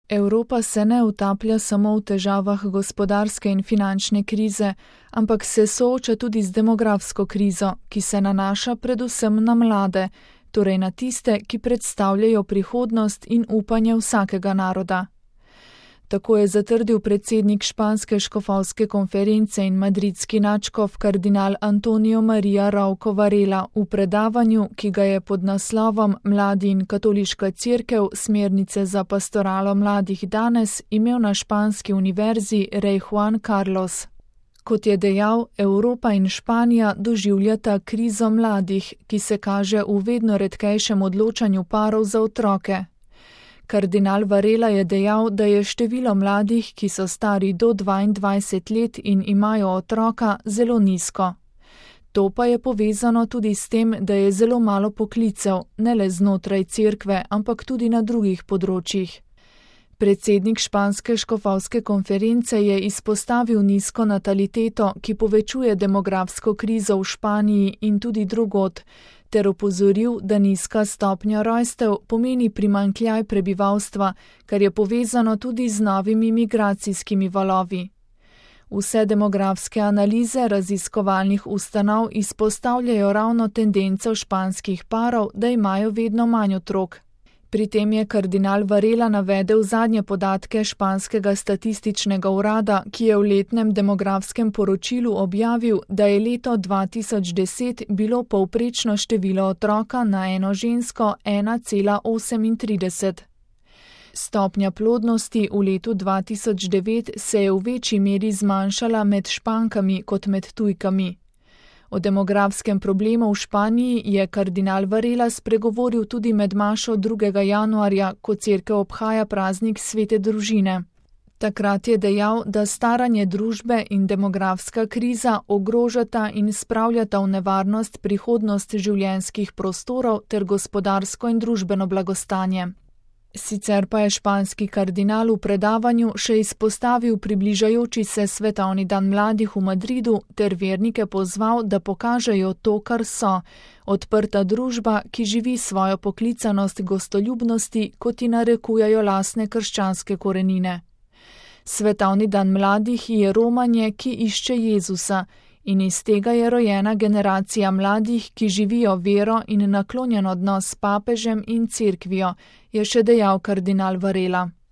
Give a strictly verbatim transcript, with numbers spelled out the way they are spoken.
Evropa se ne utaplja samo v težavah gospodarske in finančne krize, ampak se sooča tudi z demografsko krizo, ki se nanaša predvsem na mlade, torej na tiste, ki predstavljajo prihodnost in upanje vsakega naroda. Tako je zatrdil predsednik španske škofovske konference in madridski nadškof kardinal Antonio María Rouco Varela v predavanju, ki ga je pod naslovom Mladi in katoliška cerkev smernice za pastoralo mladih danes imel na španski univerzi Rey Juan Carlos. Kot je dejal, Evropa in Španija doživljata krizo mladih, ki se kaže v vedno redkejšem odločanju parov za otroke. Kardinal Varela je dejal, da je število mladih, ki so stari do dvaindvajset let in imajo otroka, zelo nizko. To pa je povezano tudi s tem, da je zelo malo poklicev, ne le znotraj cerkve, ampak tudi na drugih področjih. Predsednik španske škofovske konference je izpostavil nizko nataliteto, ki povečuje demografsko krizo v Španiji in tudi drugod, ter opozoril, da nizka stopnja rojstev pomeni primanjkljaj prebivalstva, kar je povezano tudi z novimi migracijskimi valovi. Vse demografske analize raziskovalnih ustanov izpostavljajo ravno tendenco španskih parov, da imajo vedno manj otrok. Pri tem je kardinal Varela navedel zadnje podatke španskega statističnega urada, ki je v letnem demografskem poročilu objavil, da je leto dva tisoč deset bilo povprečno število otroka na eno žensko ena cela osemintrideset. Stopnja plodnosti v letu dva tisoč devet se je v večji meri zmanjšala med Špankami kot med tujkami. O demografskem problemu v Španiji je kardinal Varela spregovoril tudi med mašo drugega januarja, ko cerkev obhaja praznik svete družine. Takrat je dejal, da staranje družbe in demografska kriza ogrožata in spravljata v nevarnost prihodnost življenjskih prostorov ter gospodarsko in družbeno blagostanje. Sicer pa je španski kardinal v predavanju še izpostavil približajoči se svetovni dan mladih v Madridu ter vernike pozval, da pokažejo to, kar so, odprta družba, ki živi svojo poklicanost gostoljubnosti, kot ji narekujejo lastne krščanske korenine. Svetovni dan mladih je romanje, ki išče Jezusa, in iz tega je rojena generacija mladih, ki živijo vero in naklonjen odnos s papežem in cerkvijo, je še dejal kardinal Varela.